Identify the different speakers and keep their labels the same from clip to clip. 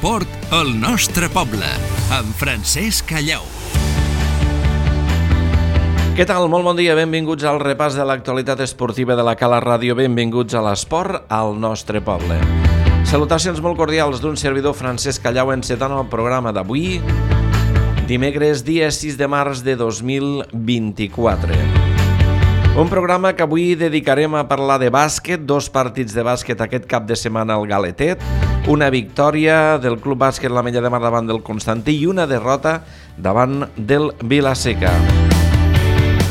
Speaker 1: L'esport al nostre poble, amb Francesc Callau.
Speaker 2: Què tal? Molt bon dia, benvinguts al repàs de l'actualitat esportiva de la Cala Ràdio, benvinguts a l'esport al nostre poble. Salutacions molt cordials d'un servidor Francesc Callau encetant el programa d'avui, dimecres, dia 6 de març de 2024. Un programa que avui dedicarem a parlar de bàsquet, dos partits de bàsquet aquest cap de setmana al Galetet, una victòria del Club Bàsquet l'Ametlla de Mar davant del Constantí i una derrota davant del Vila-seca.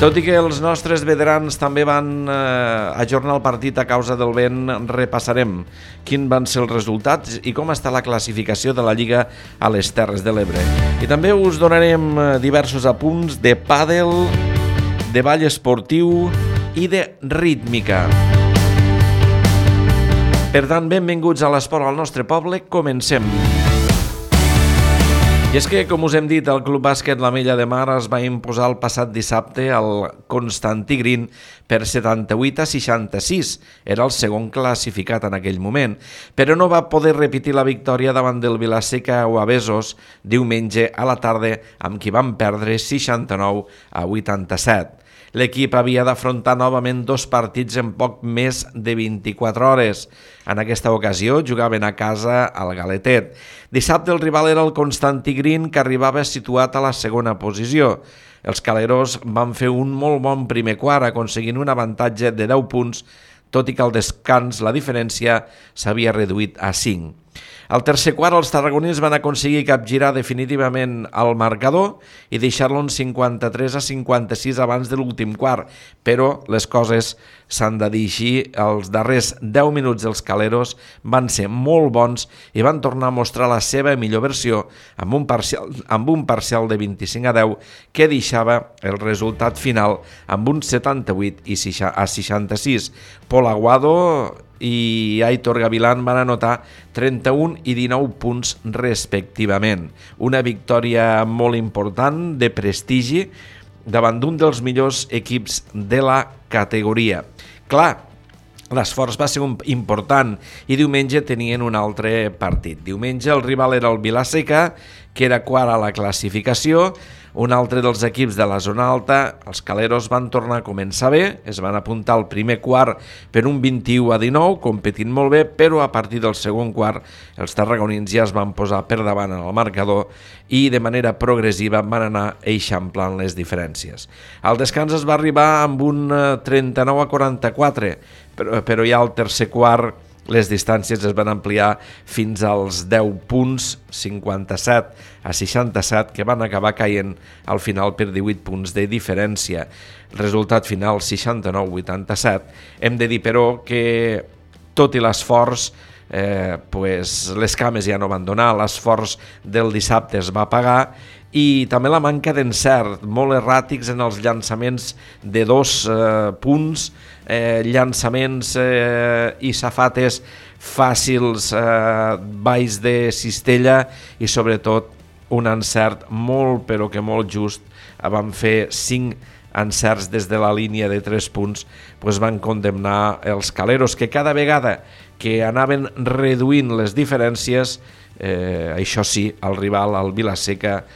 Speaker 2: Tot i que els nostres veterans també van ajornar el partit a causa del vent, repassarem quins van ser els resultats i com està la classificació de la Lliga a les Terres de l'Ebre. I també us donarem diversos apunts de pàdel, de ball esportiu i de rítmica. Per tant, benvinguts a l'esport al nostre poble, comencem. I és que, com us hem dit, el Club Bàsquet l'Ametlla de Mar es va imposar el passat dissabte al Constantí Green per 78-66. Era el segon classificat en aquell moment, però no va poder repetir la victòria davant del Vila-seca o a Besos diumenge a la tarda, amb qui van perdre 69-87. L'equip havia d'afrontar novament dos partits en poc més de 24 hores. En aquesta ocasió jugaven a casa al Galetet. Dissabte el rival era el Constantí Green, que arribava situat a la segona posició. Els caleros van fer un molt bon primer quart, aconseguint un avantatge de 10 punts, tot i que al descans la diferència s'havia reduït a 5. Al tercer quart, els tarragonins van aconseguir capgirar definitivament el marcador i deixar-lo en 53-56 abans de l'últim quart, però les coses s'han de dir així. Els darrers 10 minuts dels caleros van ser molt bons i van tornar a mostrar la seva millor versió amb un parcial de 25-10 que deixava el resultat final amb un 78-66. Pol Aguado i Aitor Gavilán van anotar 31 i 19 punts respectivament. Una victòria molt important, de prestigi, davant d'un dels millors equips de la categoria. Clar, l'esforç va ser important i diumenge tenien un altre partit. Diumenge el rival era el Vila-seca, que era quart a la classificació. Un altre dels equips de la zona alta, els caleros, van tornar a començar bé, es van apuntar al primer quart per un 21-19, competint molt bé, però a partir del segon quart els tarragonins ja es van posar per davant en el marcador i de manera progressiva van anar eixamplant les diferències. Al descans es va arribar amb un 39-44, però ja al tercer quart les distàncies es van ampliar fins als 10 punts, 57-67, que van acabar caient al final per 18 punts de diferència. Resultat final 69-87. Hem de dir, però, que tot i l'esforç, les cames ja no van donar, l'esforç del dissabte es va pagar, i també la manca d'encert, molt erràtics en els llançaments de 2 punts, llançaments i safates fàcils baix de cistella i sobretot un encert molt però que molt just. Van fer 5 encerts des de la línia de 3 punts, van condemnar els caleros, que cada vegada que anaven reduint les diferències, això sí, el rival, el Vila-seca,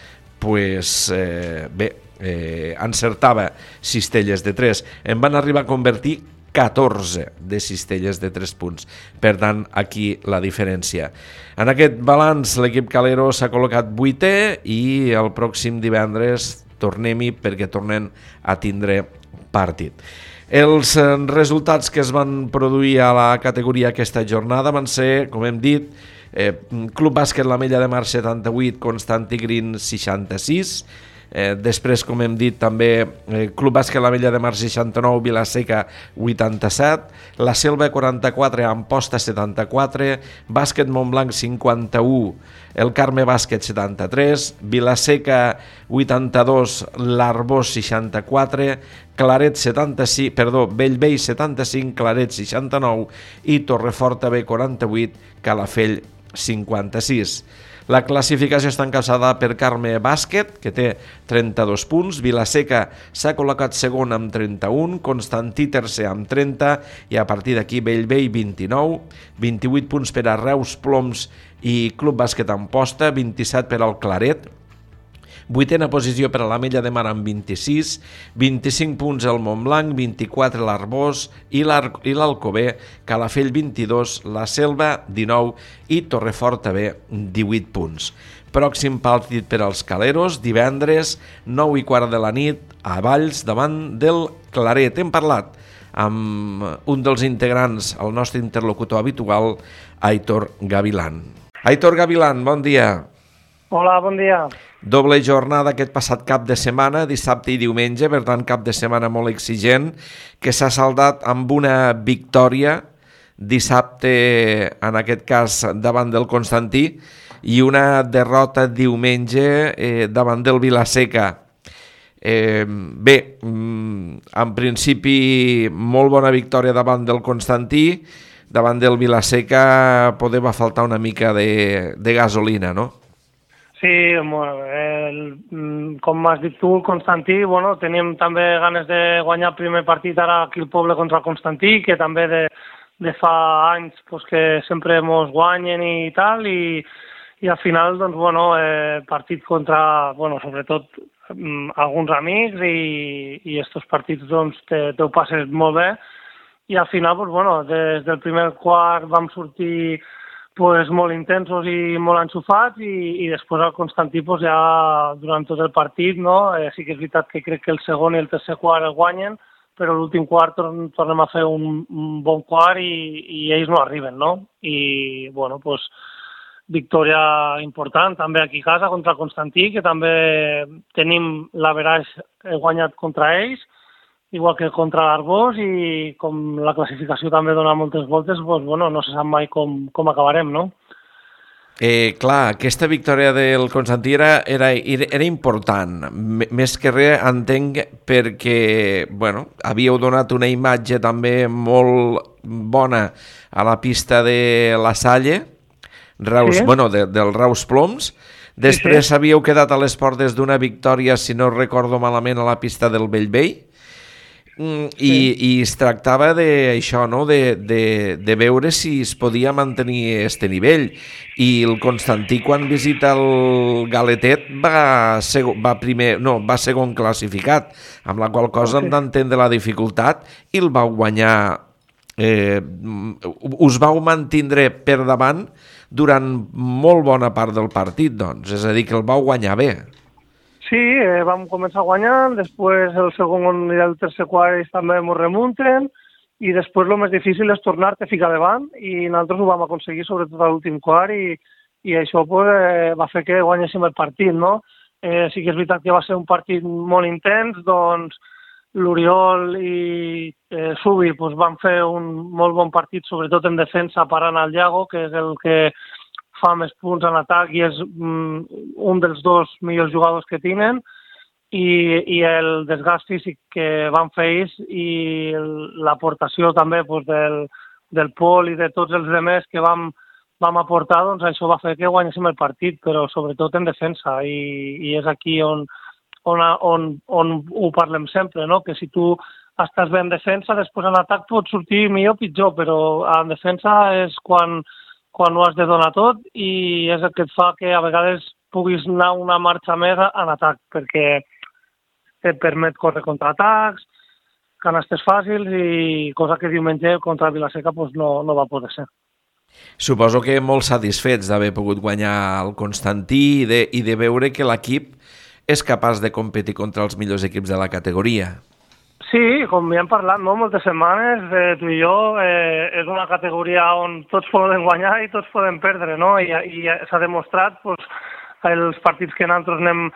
Speaker 2: encertava cistelles de 3. En van arribar a convertir 14 de cistelles de 3 punts. Per tant, aquí la diferència. En aquest balanç, l'equip calero s'ha col·locat 8è i el pròxim divendres tornem-hi perquè tornen a tindre partit. Els resultats que es van produir a la categoria aquesta jornada van ser, com hem dit, Club Bàsquet l'Ametlla de Mar 78, Constantí Green 66, després, com hem dit, també Club Bàsquet l'Ametlla de Mar 69, Vila-seca 87, la Selva 44, Amposta 74, Bàsquet Montblanc 51, el Carme Bàsquet 73, Vila-seca 82, l'Arbós 64, Bellvei 75, Claret 69 i Torreforta B 48, Calafell 56. La classificació està encapçalada per Carme Bàsquet, que té 32 punts, Vilaseca s'ha col·locat segon amb 31, Constantí tercer amb 30, i a partir d'aquí Bellvei 29, 28 punts per a Reus, Ploms i Club Bàsquet Amposta, 27 per al Claret, vuitena posició per a l'Ametlla de Mar amb 26, 25 punts el Montblanc, 24 l'Arbós i l'Alcover, Calafell 22, la Selva 19 i Torrefort també 18 punts. Pròxim partit per als Caleros, divendres 9:15 de la nit a Valls davant del Claret. Hem parlat amb un dels integrants, el nostre interlocutor habitual, Aitor Gavilán. Aitor Gavilán, bon dia.
Speaker 3: Hola, bon dia.
Speaker 2: Doble jornada aquest passat cap de setmana, dissabte i diumenge, per tant cap de setmana molt exigent, que s'ha saldat amb una victòria dissabte, en aquest cas davant del Constantí, i una derrota diumenge davant del Vilaseca. Bé, en principi molt bona victòria davant del Constantí, davant del Vilaseca poder va faltar una mica de gasolina, no?
Speaker 3: Sí, com has dit tu, Constantí, teníem també ganes de guanyar el primer partit ara aquí al poble contra el Constantí, que també de fa anys que sempre ens guanyen i tal, i al final, partit contra, sobretot alguns amics, i estos partits te ho passes molt bé, i al final, des del primer quart vam sortir molt intensos i molt enxufats, i després al Constantí ja durant tot el partit, sí que és veritat que crec que el segon i el tercer quart el guanyen, però l'últim quart tornem a fer un bon quart i ells no arriben, no? I, victòria important també aquí a casa contra el Constantí, que també tenim l'averaix guanyat contra ells, igual que contra l'Arbós, i com la classificació també dona moltes voltes, no se sap mai com acabarem, no?
Speaker 2: Clar, aquesta victòria del Constantí era important, més que res entenc perquè havíeu donat una imatge també molt bona a la pista de la Salle, Reus, del Reus Ploms. Després havíeu quedat a les portes d'una victòria, si no recordo malament, a la pista del Bellvei. I es tractava d'això, no? de veure si es podia mantenir este nivell, i el Constantí quan visita el Galetet va segon classificat, amb la qual cosa hem d'entendre la dificultat, i el vau guanyar, us vau mantindre per davant durant molt bona part del partit, doncs, és a dir, que el vau guanyar bé.
Speaker 3: Sí, vam començar guanyant, després el segon i el tercer quart també ens remunten, i després el més difícil és tornar-te a ficar davant, i nosaltres ho vam aconseguir sobretot a l'últim quart, i això va fer que guanyéssim el partit, no? Sí que és veritat que va ser un partit molt intens, doncs l'Oriol i Subi van fer un molt bon partit, sobretot en defensa, parant al Iago, que és el que fa més punts en atac i és un dels dos millors jugadors que tenen, i el desgast físic que van fer ells i l'aportació també del Pol i de tots els altres que vam aportar, doncs això va fer que guanyéssim el partit, però sobretot en defensa, i és aquí on ho parlem sempre, no? Que si tu estàs bé en defensa, després en atac pot sortir millor o pitjor, però en defensa és quan ho has de donar tot, i és el que et fa que a vegades puguis anar una marxa més en atac, perquè et permet córrer contraatacs, canastes fàcils, i cosa que diumenge contra Vilaseca no va poder ser.
Speaker 2: Suposo que molt satisfets d'haver pogut guanyar el Constantí i de veure que l'equip és capaç de competir contra els millors equips de la categoria.
Speaker 3: Sí, com ja hem parlat moltes setmanes, tu i jo, és una categoria on tots poden guanyar i tots poden perdre, no? I s'ha demostrat els partits que nosaltres anem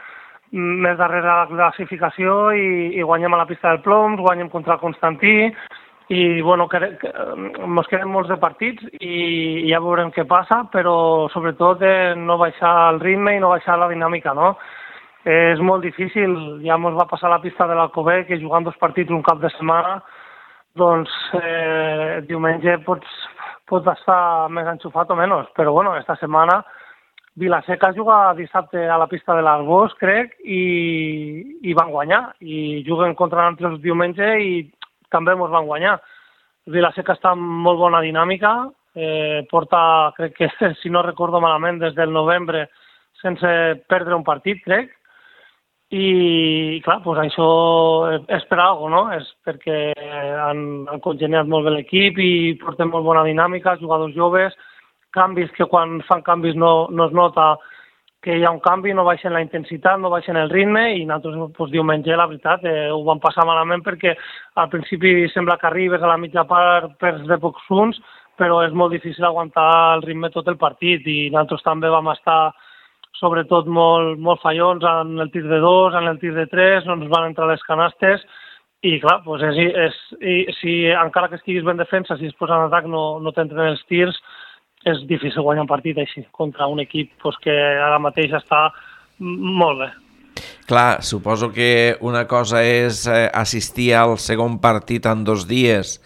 Speaker 3: més darrere de la classificació i guanyem a la pista del Ploms, guanyem contra el Constantí, i ens queden molts de partits i ja veurem què passa, però sobretot no baixar el ritme i no baixar la dinàmica, no? És molt difícil, ja ens va passar a la pista de l'Alcover, que jugant 2 partits un cap de setmana, doncs diumenge pots estar més enxufat o menys, però esta setmana Vila-seca juga dissabte a la pista de l'Arbós, crec, i van guanyar. I juguen contra nosaltres diumenge i també ens van guanyar. Vila-seca està en molt bona dinàmica, porta, crec que, si no recordo malament, des del novembre sense perdre un partit, crec. I, clar, doncs això és per alguna cosa, no? És perquè han congeniat molt bé l'equip i porten molt bona dinàmica, jugadors joves, canvis que quan fan canvis no es nota que hi ha un canvi, no baixen la intensitat, no baixen el ritme, i nosaltres doncs, diumenge, la veritat, ho vam passar malament perquè al principi sembla que arribes a la mitja part perds de pocs punts, però és molt difícil aguantar el ritme tot el partit, i nosaltres també vam estar sobretot molt fallons en el tir de 2, en el tir de 3, no ens van entrar les canastes, i clar, doncs si encara que estiguis ben defensa, si es posa en atac no t'entren els tirs, és difícil guanyar un partit així, contra un equip que ara mateix està molt bé.
Speaker 2: Clar, suposo que una cosa és assistir al segon partit en 2 dies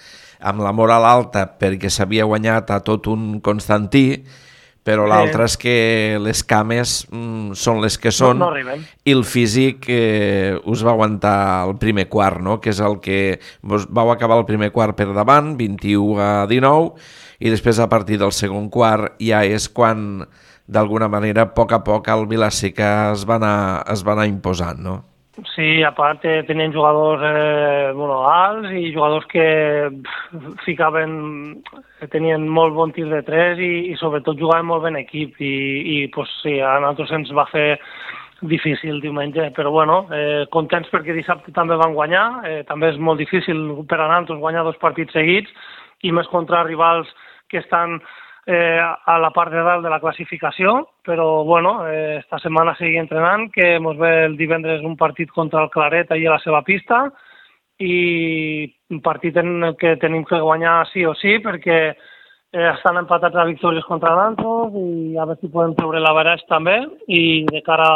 Speaker 2: amb la moral alta perquè s'havia guanyat a tot un Constantí, però l'altre és que les cames són les que són,
Speaker 3: no arriben.
Speaker 2: I el físic us va aguantar el primer quart, no? Que és el que vau acabar el primer quart per davant, 21-19, i després a partir del segon quart ja és quan d'alguna manera a poc el Vila-seca es va anar imposant, no?
Speaker 3: Sí, a part tenien jugadors alts i jugadors que tenien molt bon tir de 3 i sobretot jugaven molt bé en equip i pues, sí, a nosaltres ens va fer difícil diumenge, però bueno, contents perquè dissabte també van guanyar, també és molt difícil per a nosaltres guanyar 2 partits seguits i més contra rivals que estan a la part de dalt de la classificació, però bueno, esta setmana seguim entrenant, que ens ve el divendres un partit contra el Claret allà a la seva pista, i un partit en què tenim que guanyar sí o sí, perquè estan empatats a victòries contra nosaltres, i a veure si podem treure l'averaix també, i de cara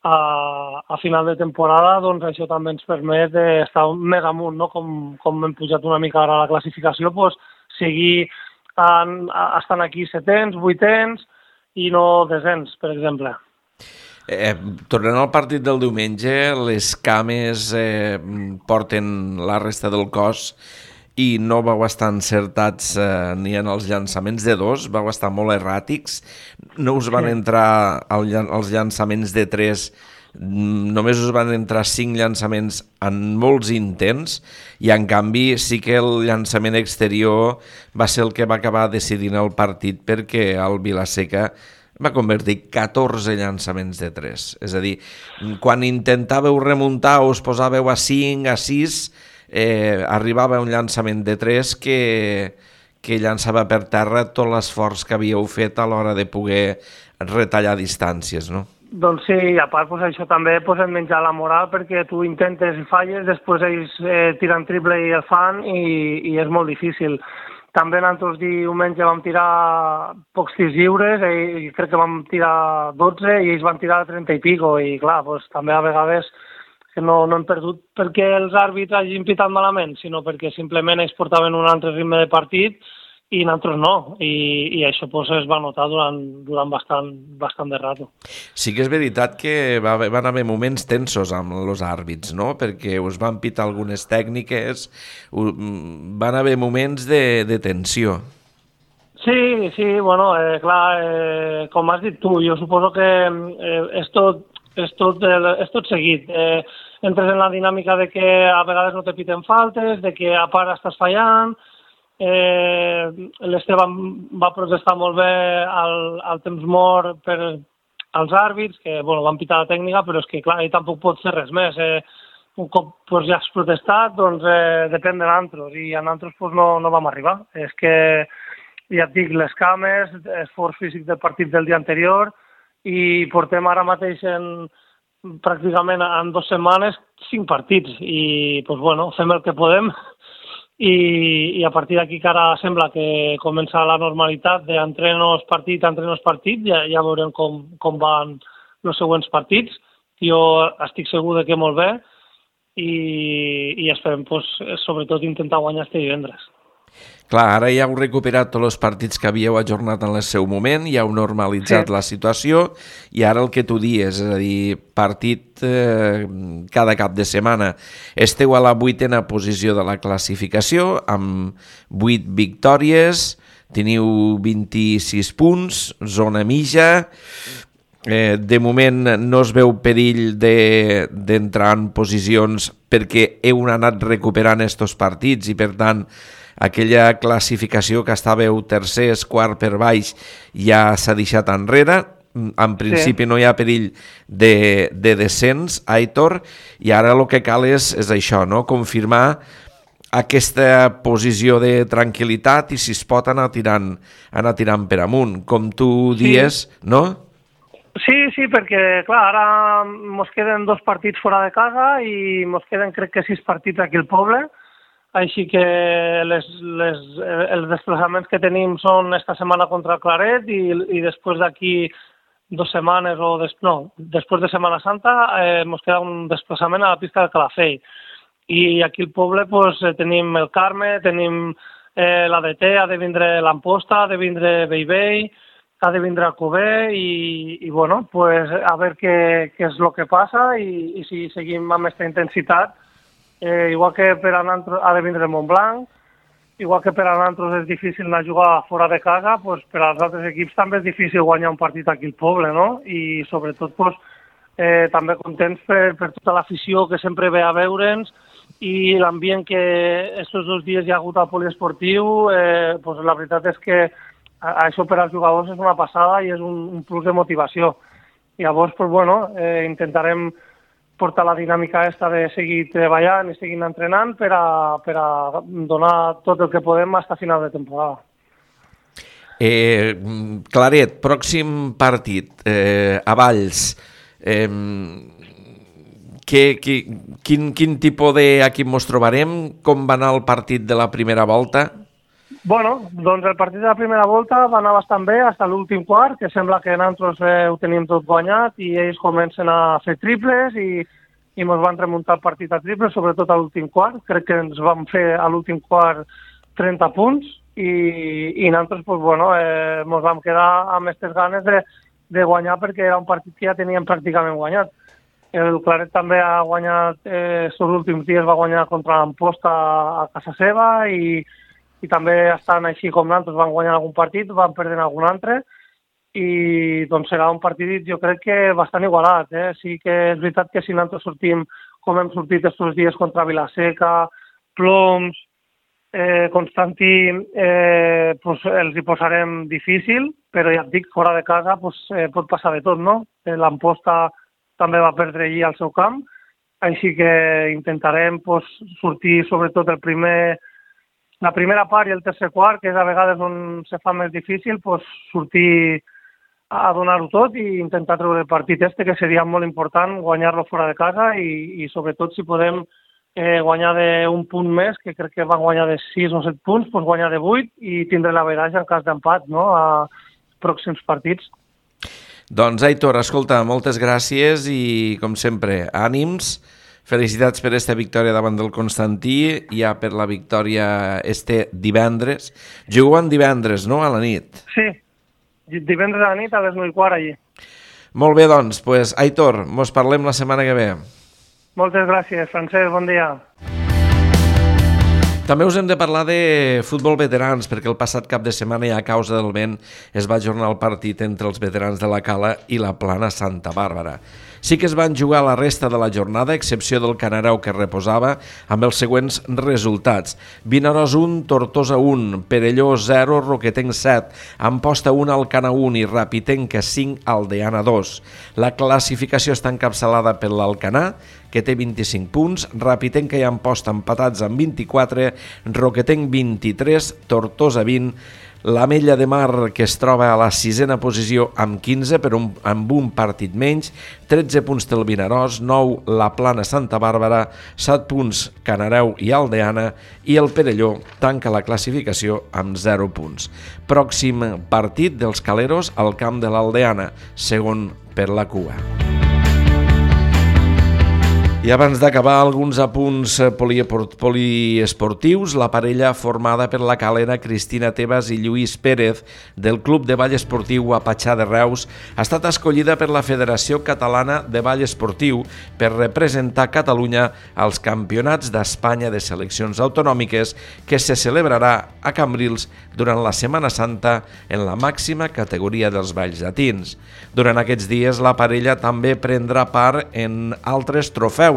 Speaker 3: a final de temporada, doncs això també ens permet estar més amunt, no? Com hem pujat una mica ara a la classificació, doncs seguir estan aquí 700, 800 i no 200, per exemple.
Speaker 2: Tornant al partit del diumenge, les cames porten la resta del cos i no vau estar encertats ni en els llançaments de 2, vau estar molt erràtics, no us van entrar els llançaments de 3, només us van entrar 5 llançaments en molts intents, i en canvi sí que el llançament exterior va ser el que va acabar decidint el partit, perquè el Vila-seca va convertir 14 llançaments de 3. És a dir, quan intentàveu remuntar o us posàveu a 5, a 6, arribava un llançament de 3 que llançava per terra tot l'esforç que havíeu fet a l'hora de poder retallar distàncies, no?
Speaker 3: Doncs sí, a part això també et menjar la moral, perquè tu intentes i falles, després ells tiren triple i el fan, i és molt difícil. També nosaltres diumenge vam tirar pocs tirs lliures, i crec que vam tirar 12 i ells van tirar 30 i pico, i clar, doncs, també a vegades que no hem perdut perquè els àrbitres hagin pitat malament, sinó perquè simplement ells portaven un altre ritme de partit i nosaltres no, i això pues, es va notar durant bastant de rato.
Speaker 2: Sí que és veritat que van haver moments tensos amb els àrbits, no? Perquè us van pitar algunes tècniques, van haver moments de tensió.
Speaker 3: Sí, bueno, clar, com has dit tu, jo suposo que és tot seguit. Entres en la dinàmica de que a vegades no te piten faltes, de que a part estàs fallant. L'Esteban va protestar molt bé al temps mort per als àrbits, que van pitar la tècnica, però és que clar, ell tampoc pot fer res més. Un cop ja has protestat, doncs depèn de nosaltres, i a nosaltres no vam arribar. És que, ja et dic, les cames, esforç físic del partit del dia anterior, i portem ara mateix pràcticament en 2 setmanes 5 partits, i fem el que podem. I a partir d'aquí que ara sembla que comença la normalitat d'entrenos partit, ja veurem com van els següents partits. Jo estic segur que molt bé, i esperem sobretot intentar guanyar este divendres.
Speaker 2: Clar, ara ja heu recuperat tots els partits que havíeu ajornat en el seu moment, ja heu normalitzat la situació i ara el que tu dies, és a dir, partit cada cap de setmana. Esteu a la 8ª posició de la classificació amb 8 victòries, teniu 26 punts, zona mitja. De moment no es veu perill d'entrar en posicions perquè heu anat recuperant estos partits i per tant aquella classificació que estàveu tercers, quart per baix ja s'ha deixat enrere. En principi no hi ha perill de descens, Aitor, i ara el que cal és això, no? Confirmar aquesta posició de tranquil·litat i si es pot anar tirant per amunt, com tu dies, no?
Speaker 3: Sí, perquè, clar, ara mos queden 2 partits fora de casa i mos queden, crec que 6 partits aquí al poble, així que els desplaçaments que tenim són esta setmana contra el Claret i després d'aquí 2 setmanes després de Setmana Santa mos queda un desplaçament a la pista del Calafell. I aquí al poble pues, tenim el Carme, tenim l'ADT, ha de vindre l'Amposta, ha de vindre Bellvei, ha de vindre Alcover i bueno, pues, a veure què és el que passa i si seguim amb aquesta intensitat. Igual que per a nosaltres ha de vindre el Montblanc, igual que per a nosaltres és difícil anar a jugar fora de casa, pues, per als altres equips també és difícil guanyar un partit aquí al poble, no? I sobretot pues, també contents per tota l'afició que sempre ve a veure'ns i l'ambient que aquests 2 dies hi ha hagut al poliesportiu, pues, la veritat és que això per als jugadors és una passada i és un plus de motivació. Llavors, pues, bueno, intentarem portar la dinàmica aquesta de seguir treballant i seguir entrenant per a donar tot el que podem fins a final de temporada.
Speaker 2: Claret, pròxim partit, a Valls. Quin tipus d'equip ens trobarem? Com va anar el partit de la primera volta?
Speaker 3: Bueno, doncs el partit de la primera volta va anar bastant bé fins a l'últim quart, que sembla que nosaltres ho tenim tot guanyat i ells comencen a fer triples i ens van remuntar el partit a triples, sobretot a l'últim quart. Crec que ens vam fer a l'últim quart 30 punts i nosaltres pues, bueno, ens vam quedar amb aquestes ganes de guanyar perquè era un partit que ja teníem pràcticament guanyat. El Claret també ha guanyat, els últims dies va guanyar contra l'Amposta a casa seva i també estan així com nosaltres, van guanyar algun partit, van perdre algun altre i doncs serà un partit jo crec que bastant igualat. Sí que és veritat que si nosaltres sortim com hem sortit aquests dies contra Vilaseca, Ploms, Constantí, pues, els hi posarem difícil, però ja et dic, fora de casa pues, pot passar de tot, no? L'Amposta també va perdre allí al seu camp, així que intentarem pues, sortir sobretot la primera part i el tercer quart, que és a vegades on se fa més difícil, pues, sortir a donar-ho tot i intentar treure el partit que seria molt important guanyar-lo fora de casa i sobretot si podem guanyar d'un punt més, que crec que van guanyar de 6 o 7 punts, pues guanyar de 8 i tindre l'average en cas d'empat, no?, a pròxims partits.
Speaker 2: Doncs, Aitor, escolta, moltes gràcies i, com sempre, ànims. Felicitats per aquesta victòria davant del Constantí, ja per la victòria divendres. Juguen divendres, no?, a la nit.
Speaker 3: Sí, divendres a la nit a les 9:15 allí.
Speaker 2: Molt bé, doncs, Aitor, mos parlem la setmana que ve.
Speaker 3: Moltes gràcies, Francesc, bon dia.
Speaker 2: També us hem de parlar de futbol veterans, perquè el passat cap de setmana i a causa del vent es va ajornar el partit entre els veterans de la Cala i la Plana Santa Bàrbara. Sí que es van jugar la resta de la jornada, a excepció del Canarau que reposava, amb els següents resultats. Vinaròs 1, Tortosa 1, Perelló 0, Roquetenc 7, Amposta 1, Alcana 1 i Rapitenca 5, Aldeana 2. La classificació està encapçalada per l'Alcanar, que té 25 punts, Rapitenca i Amposta empatats amb 24, Roquetenc 23, Tortosa 20, l'Ametlla de Mar, que es troba a la 6a posició amb 15, però amb un partit menys, 13 punts té el Vinaròs, 9 la Plana Santa Bàrbara, 7 punts Canareu i Aldeana, i el Perelló tanca la classificació amb 0 punts. Pròxim partit dels Caleros al camp de l'Aldeana, segon per la cua. I abans d'acabar, alguns apunts poliesportius. La parella formada per la calera Cristina Tebas i Lluís Pérez del Club de Ball Esportiu Apatxà de Reus ha estat escollida per la Federació Catalana de Ball Esportiu per representar Catalunya als Campionats d'Espanya de Seleccions Autonòmiques que se celebrarà a Cambrils durant la Setmana Santa en la màxima categoria dels balls llatins. Durant aquests dies, la parella també prendrà part en altres trofeus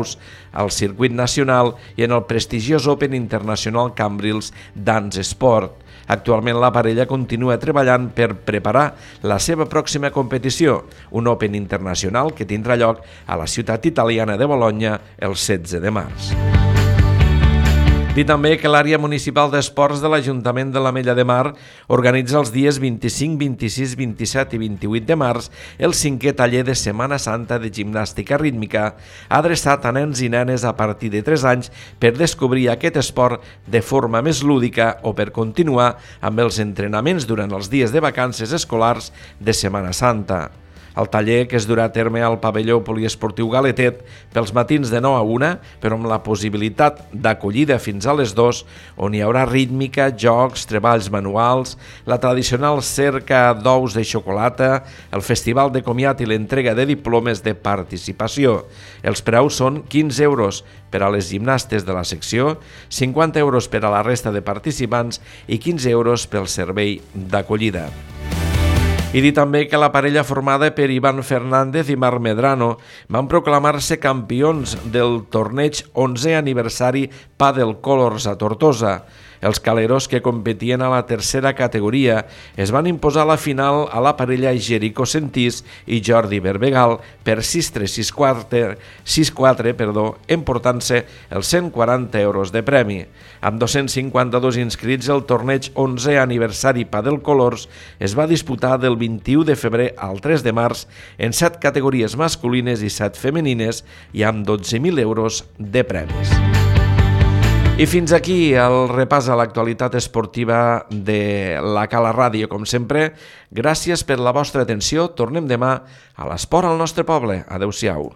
Speaker 2: al circuit nacional i en el prestigiós Open Internacional Cambrils Dance Sport. Actualment la parella continua treballant per preparar la seva pròxima competició, un Open Internacional que tindrà lloc a la ciutat italiana de Bologna el 16 de març. Dir també que l'àrea municipal d'esports de l'Ajuntament de l'Ametlla de Mar organitza els dies 25, 26, 27 i 28 de març el 5è taller de Setmana Santa de gimnàstica rítmica adreçat a nens i nenes a partir de 3 anys per descobrir aquest esport de forma més lúdica o per continuar amb els entrenaments durant els dies de vacances escolars de Setmana Santa. El taller, que es durà a terme al pavelló poliesportiu Galetet pels matins de 9 a 1, però amb la possibilitat d'acollida fins a les 2, on hi haurà rítmica, jocs, treballs manuals, la tradicional cerca d'ous de xocolata, el festival de comiat i l'entrega de diplomes de participació. Els preus són 15 euros per a les gimnastes de la secció, 50 euros per a la resta de participants i 15 euros pel servei d'acollida. I dir també que la parella formada per Ivan Fernández i Marc Medrano van proclamar-se campions del torneig 11è aniversari Padel Colors a Tortosa. Els caleros que competien a la tercera categoria es van imposar a la final a la parella Jerico Sentís i Jordi Berbegal per 6-3, 6-4, emportant-se els 140 euros de premi. Amb 252 inscrits, el torneig 11è aniversari Padel Colors es va disputar del 21 de febrer al 3 de març en 7 categories masculines i 7 femenines i amb 12.000 euros de premis. I fins aquí el repàs a l'actualitat esportiva de la Cala Ràdio. Com sempre, gràcies per la vostra atenció. Tornem demà a l'esport al nostre poble. Adéu-siau.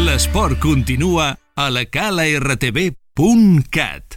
Speaker 1: L'esport continua a la calartv.cat.